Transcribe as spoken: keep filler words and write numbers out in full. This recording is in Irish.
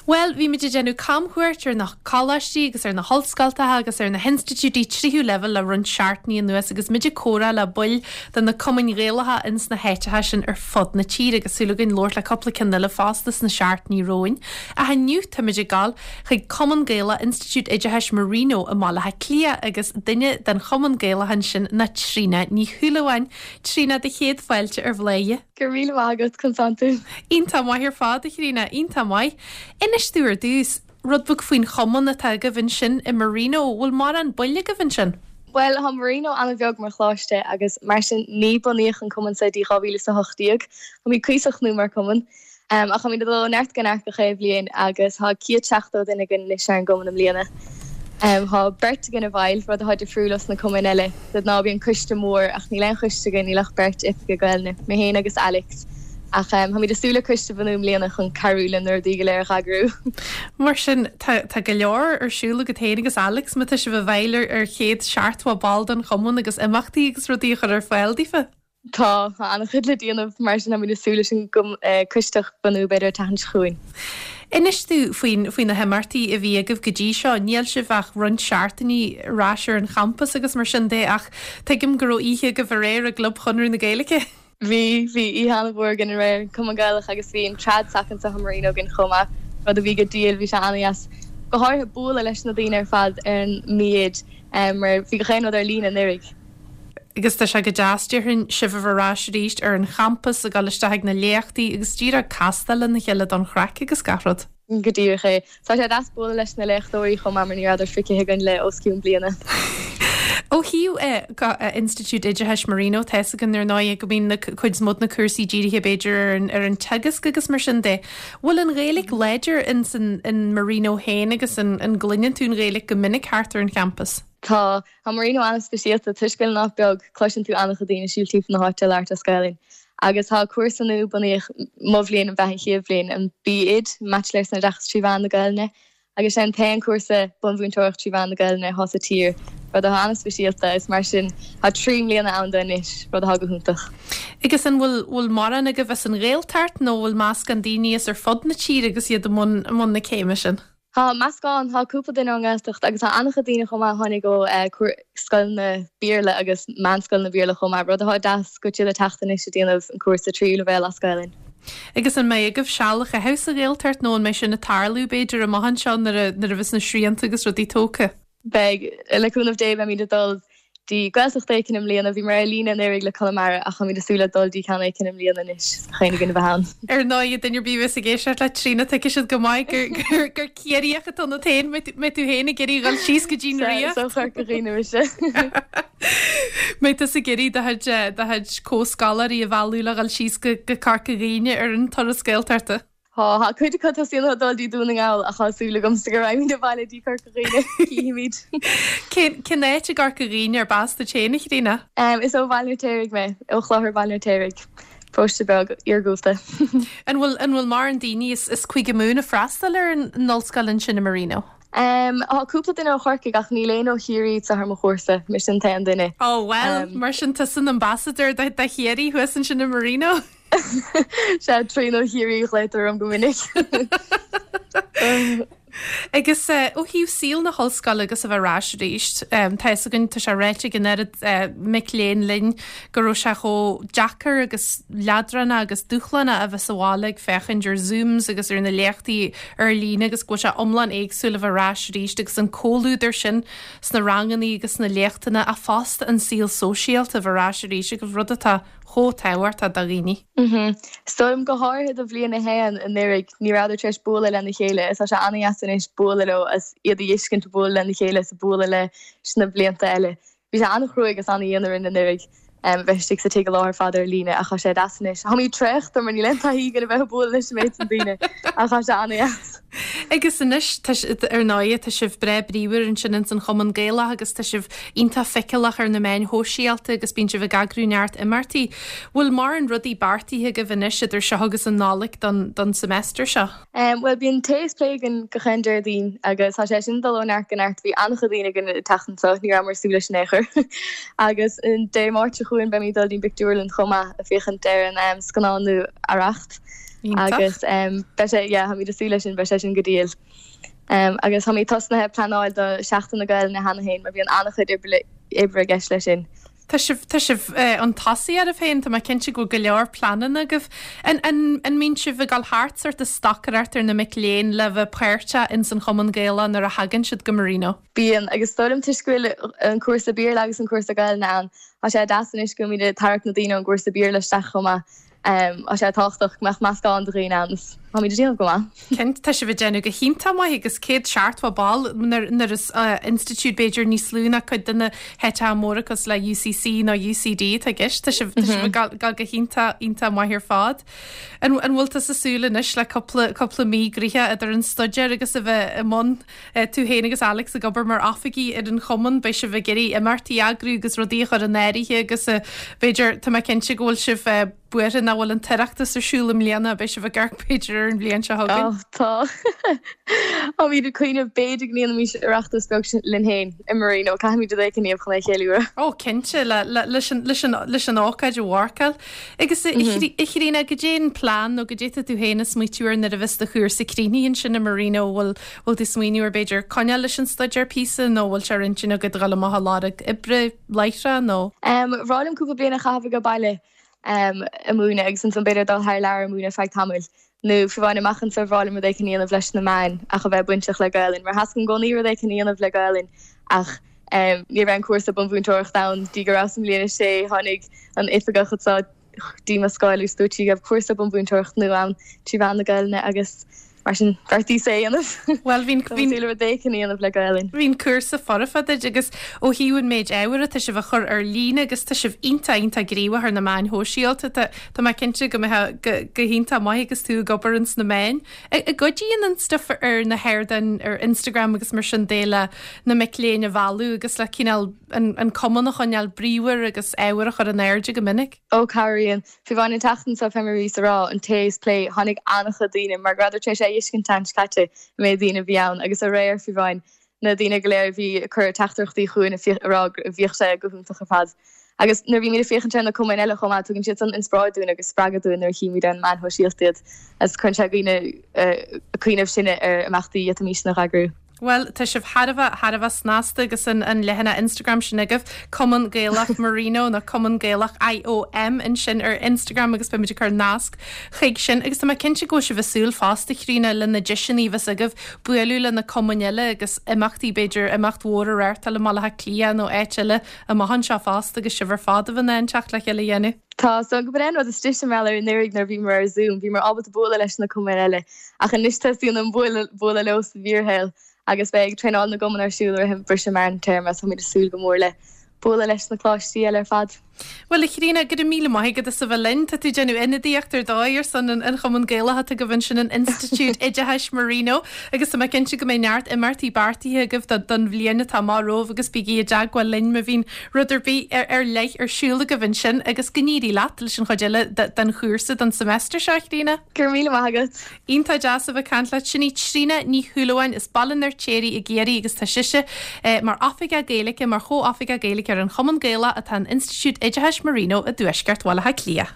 Well, bhí muid ag déanamh camchuairt ar na coláistí agus ar na hollscoltacha agus ar na hinstitiúidí tríú leibhéal le roinnt seachtainí anuas agus muid ag comhrá le baill de na cumainn Ghaelacha ins na háiteacha sin ar fud na tíre agus súil againn labhairt le cúpla ceann eile fosta sna seachtainí romhainn. Ach inniu táimid ag dul chuig Cumann Gaelach Institiúid Oideachais Marino i mBaile Átha Cliath agus duine den Chumann Gaelach ansin ná Tríona Ní Shúilleabháin. Tríona do chéad fáilte ar Bhladhaire. Go raibh míle maith agat conas tá tú. Iontach maith ar fad a Thríona, iontach maith. Inis domh ar dtús, rud beag faoin chumann atá agaibh ansin i Marino, bhfuil mórán baill agaibh ansin? Well tá Marino an-bheag mar choláiste agus mar sin ní bunaíodh an cumann sa dtí dhá mhíle is a hocht déag. Táimid cuíosach nua mar cumann. Um, ach táimid ag dul ó neart go neart gach aon bhliain agus tá céad seachtó duine againn anois ar an gcumann i mbliana. Um, tá beirt againn i bhfeighil rud atá difriúil os na cumainn eile. De ghnáth bíonn coiste mór ach níl aon choiste againn níl ach beirt oifigeach Gaelainne, mé féin agus Alex. Ach um, táimid ag súil le coiste a bhunú i mbliana chun cabhrú le na rudaí go léir a eagrú. Mar sin tá tá go leor ar siúl agat féin agus Alex má tá sibh i bhfeighil ar ar chéad seachtó ball den chumann agus imeachtaí agus rudaí a chur ar fáil daofa. Tá an-chuid le déanamh mar sin táimid ag súil leis an eh, coiste a bhunú b'fhéidir an tseachtain seo chugainn. Inis domh faoin faoi na himeachtaí a bhí agaibh go dtí seo, níl sibh ach roinnt seachtainí ar ais ar an champas agus mar sin de ach tuigim go raibh oíche agaibh aréir i gClub Chonradh na Gaeilge. Bhí bhí oíche an-mhór againn aréir Cumann Gaelach agus bhí an trad sac anseo i Marino againn chomh maith rud a bhí go diail bhí sé an-deas go háirithe bualadh leis na daoine ar fad ar an mbíd mar bhí gach aon rud ar líne anuraidh. Agus tá sé go deas déarfainn sibh a bheith ar ais arís ar an champas ag dul isteach ag na léachtaí agus díreach castáil lena chéile don chraic agus gach rud. Go díreach é. Tá sé deas bualadh leis na léachtóirí chomh maith mar ní rabhadar feicthe againn le os cionn bliana. Ó thaobh Institiúid Oideachais Marino tá a fhios againn ar ndóigh go mbíonn na cuid is mó de na cúrsaí dírithe b'fhéidir ar an, ar an teagasc agus mar sin de. Bhfuil an Ghaeilge láidir in san in Marino féin agus an, an gcluineann tú an Ghaeilge go minic thart ar an champas? Tá tá Marino an-speisialta toisc go bhfuil an áit beag cloiseann tú an-chuid daoine ag siúl timpeall na háite ag labhairt as Gaelainn. Agus tá cúrsa nua bunaíodh mo bhliain an bheith an chéad bhliain an B.Ed Baitsiléir san Oideachas trí mheán na Gaelainne. Agus sin an t-aon cúrsa bunmhúinteoireacht trí mheán na Gaelainne atá sa tír, rud atá an-speisialta is mar sin tá trí mbliana ann anois rud atá go hiontach. Agus an bhfuil bhfuil mórán agaibh as an Ghaeltacht nó bhfuil meascán daoine as ar fud na tíre agus iad i mbun i mbun na céime sin? Tá meascán tá cúpla duine ón nGaeltacht agus tá an-chuid daoine chomh maith tháinig ó scoileanna Béarla agus meánscoileanna Béarla chomh maith, rud atá deas go bhfuil siad ag teacht anois ag déanamh an cúrsa tríú leibhéal as Gaelainn. Agus an mbeidh agaibh seal a chaitheamh sa Ghaeltacht nó an mbeidh sin ag tarlú b'fhéidir amach anseo nuair a nuair a bheas na srianta agus rudaí tógtha? Beidh le cúnamh Dé beimid ag dul dtí Gaeltacht éicint i mbliana, bhí mar ar líne anuraidh le Conamara ach táimid ag súil le dul dtí ceann éicint i mbliana anois chaon duine bheith ann. Ar ndóigh duine ar bith a bheas ag éisteacht le Tríona tuigfidh siad go maith gur gur gur Ciarraíoch atá ionat féin mbeidh tú féin ag iarraidh dhul síos go dtí an Ríocht. So Chorca Dhuibhne mise. Mbeidh tusa ag iarraidh do chuid do chuid comhscoláirí a mhealladh le dhul síos go go Corca Dhuibhne ar an turas Gaeltachta. Tá tá cuid acu tosaíonn dul dtí Dún na nGall ach tá súil agamsa go raghaimid abhaile dtí Corca Dhuibhne cífimid. Cén cén áit i gCorca Dhuibhne arb as duit féin a Thríona? Um, is ó Bhaile an Fheirtéaraigh mé ó Chlochar Bhaile an Fheirtéaraigh. Paróiste beag iargúlta. An bhfuil an bhfuil mórán daoine as as Cúige Mumhan ag freastal ar an an ollscoil ansin i Marino? Um, Tá cúpla duine ó Chorcaigh ach níl aon ó Chiarraí sa ar mo chúrsa, mise an t-aon duine. Oh well, um, mar sin tusa an ambassador de de Chiarraí thuas ansin i Marino. Sé Tríona Chiarraí glaotar orm go minic. Agus uh, ó thaobh saol na hollscoile agus a bheith ar ais arís, um, tá againn tá sé ráite ag an oiread uh, mic léinn linn go raibh sé chomh deacair agus leadránach agus dúshlánach a bheith sa bhaile ag féachaint ar Zooms agus ar na léachtaí ar líne agus go bhfuil sé iomlán éagsúil a bheith ar ais arís agus an comhluadar sin sna ranganna agus sna léachtanna a fosta an saol sóisialta a bheith ar ais arís agus rud atá chomh tábhachtach do dhaoine. Mhm. Stoim go háirithe do bhliain a haon anuraidh ní rabhadar tar éis bualadh lena chéile is tá sé an-deas anois bualadh leo as iad a fheiscint bualadh lena chéile sa bualadh le sna blianta eile. Bhí sé an-chruaidh agus an-dhian orainn anuraidh um, bheith istigh sa tigh an lá ar fad ar líne ach tá sé deas anois. Tá mé traochta mar níl aon taithí agam a bheith bualadh leis an méid sin daoine ach tá sé an-deas. Agus anois ar ndóigh tá sibh breá bríomhar ansin ins an Chumann Gaelach agus tá sibh iontach feiceálach ar na meáin shóisialta agus bíonn sibh ag eagrú neart imeachtaí. Bhfuil mórán rudaí beartaithe agaibh anois idir seo agus an Nollaig don, don semester seo? Um, well bíonn tae is plé againn gach aon Déardaoin agus tá sé sin dul ó neart go neart bhí an-chuid daoine againn an tseachtain seo ní rabhamar ag súil leis in aon chor. agus an Dé Máirt seo chugainn beimid dul dtí'n bpictiúrlann chomh maith ag féachaint ar an um, scannán nua Arracht. Agus beidh sé yeah, táimid ag súil leis sin beidh sé sin go diail. Um, agus táimid tosnaithe pleanáil do Seachtain na Gaelainne cheana féin mar bíonn an-chuid oibre i gceist leis sin. Tá sibh tá sibh chun tosaigh oraibh féin tá mé cinnte go bhfuil go leor pleananna agaibh. An an an mbíonn sibh ag dul thart sort ag stocaireacht ar na mic léinn le bheith páirteach ins an Chumann Gaelach nuair a thagann siad go Marino. Bíonn agus dóigh liom toisc go bhfuil an cúrsa Béarla agus an cúrsa Gaelainne ann. Tá sé deas anois go mbíonn ag tarraingt na daoine ón gcúrsa Béarla isteach chomh maith. Um, tá sé tábhachtach go mbeadh meascán de dhaoine ann táimid ag déanamh go maith. Cinnte tá sibh ag déanamh go hiontach maith agus céad seachtó ball nuair is uh, institiúid b'fhéidir níos lú ná cuid de na háiteacha móra cosúil le UCC nó UCD tá gist tá sibh mm-hmm. go go hiontach iontach maith ar fad. An an bhfuil tú ag súil anois le cúpla mí gnoitheach idir an staidéar agus a bheith i mbun eh, tú féin agus Alex ag obair mar oifigigh ar an chumann beidh sibh ag iarraidh imeachtaí a eagrú agus rudaí a chur in áirithe agus eh, b'fhéidir tá mé cinnte go bhfuil sibh eh, buartha nach bhfuil an tOireachtas ar siúl i mbliana beidh sibh ag amharc b'fhéidir ar an bhliain seo chugainn. Tá Táimid ag cuimhneamh b'fhéidir go ndéanfaimis Oireachtas beag linn féin i Marino caithfimid rud éigin a dhéanamh chun é a cheiliúradh. Ó cinnte leis an ócáid a mharcáil. Agus a Thríona goidé an plean nó goidé tá tú féin ag smaoitiú air nuair a bheas do chúrsa críochnaithe ansin i Marino bhfuil bhfuil tú smaoineamh ar b'fhéidir coinneáil leis an staidéar píosa nó bhfuil sé ar intinn agat dul amach ag lorg oibre láithreach nó? Um, B'fhearr liom cúpla bliain a chaitheamh ag baile um, ag múineadh agus ansan b'fhéidir dul thar lear ag múineadh feadh tamaill. Nó fiú amháin amach anseo b'fhearr liom rud éigin a dhéanamh leis na meáin ach a bheith bainteach le Gaelainn, mar theastaigh i gcónaí rud éigin a dhéanamh le Gaelainn ach um, ní raibh an cúrsa bunmhúinteoireacht ann dtí go raibh sa mbliain a sé tháinig an oifigeach anseo dtí mo scoil agus dúirt sí go raibh cúrsa bunmhúinteoireacht nua ann trí mheán na Gaelainne agus mar sin bheartaíos é a dhéanamh. Well bhín bhí rud éigin a dhéanamh le Gaelainn. Bhí'n cúrsa foirfe duit agus ó thaobh an méid ábhair atá sibh a chur ar líne agus tá sibh iontach iontach gníomhach ar na meáin shóisialta Tá mé cinnte go mbeidh go hiontach maith agus tú ag obair ins na meáin. An gcuidíonn an stuff ar na hardáin ar Instagram agus mar sin de le na mic léinn a mhealladh agus le cineál an, an cumann a choinneáil bríomhar agus ábhar a chur in airde go minic. Ó cabhraíonn Fiú amháin an tseachtain seo fé mar a rá an taos plé tháinig an-chuid daoine mar go rabhadar tar éis é a fheiscint an caite mé daoine bhí ann agus aréir fiú amháin na daoine go léir bhí cur teachtaireachtaí chugainn rá bhíodh sé go hiontach ar fad. Agus nuair bhí mé féachaint ar na cumainn eile chomh maith tugann siad san inspioráid dúinn agus spreagadh dúinn nuair a chímid ar na meáin shóisialta iad agus cuireann sé dhaoine cuimhneamh sinne ar imeachtaí a bhímid ag eagrú. Well tá sibh thar a bheith thar a bheith snasta agus an, an leathanach Instagram sin agaibh Cumann Gaelach Marino nó Cumann Gaelach IOM ansin ar Instagram agus beimid ag cur nasc chuig sin agus tá mé cinnte go sibh ag súil fosta Tríona le na deiseanna a bheas agaibh bualadh le na cumainn eile agus imeachtaí b'fhéidir imeacht mhór a reáchtáil i mBaile Átha Cliath nó áit eile amach anseo fosta agus sibh ar fad a bheith in ann teacht le chéile a dhéanamh. Tá so go ben rud is mé ar nuig nar bhí mar ar Zoom, bhí mar ábalta bualadh leis na cumainn eile ach anois teastaíonn an bualadh leo sa bhfíorshaol agus beidh traenáil na gcumann ar siúl roimh briseadh meán téarma tá mé ag súil go mór le bualadh leis na coláistí eile ar fad. Well a Thríona go raibh míle maith agat as a bheith linn Tá tú ag déanamh ionadaíocht ar dóigh ar son an Chumann Gaelach atá agaibh ansin in Institiúid Oideachais Marino agus tá mé cinnte go mbeidh neart imeachtaí beartaithe agaibh don bhliain atá amach romhaibh agus bígí i dteagmháil linn má bhíonn rud ar bith ar, ar leith ar siúl agaibh ansin agus go n-éirí leat leis an chuid eile den chúrsa don semester seo Tríona. Gur míle maith agat. Iontach deas a bheith ag caint leat sin í Tríona Ní Shúilleabháin as Baile an Fheirtéaraigh i gCiarraí agus tá sise eh, mar oifigeach Gaeilge mar chomhoifigeach Gaeilge ar an Chumann Gaelach atá in Institiúid Oideachais Marino i dtuaisceart Bhaile Átha Cliath.